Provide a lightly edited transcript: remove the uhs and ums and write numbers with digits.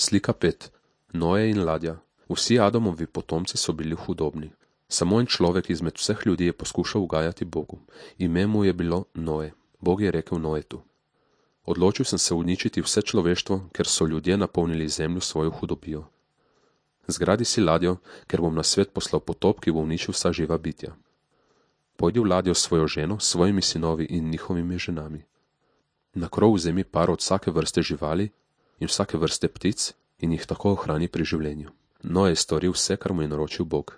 Slika 5. Noe in ladja. Vsi Adamovi potomci so bili hudobni. Samo en človek izmed vseh ljudi je poskušal ugajati Bogu. Ime mu je bilo Noe. Bog je rekel Noetu: Odločil sem se uničiti vse človeštvo, ker so ljudje napolnili zemljo svojo hudobijo. Zgradi si ladjo, ker bom na svet poslal potop, ki bo uničil vsa živa bitja. Pojdi v ladjo s svojo ženo, svojimi sinovi in njihovimi ženami. Na krov vzemi par od vsake vrste živali in vsake vrste ptic in jih tako ohrani pri življenju. Noe je storil vse, kar mu je naročil Bog.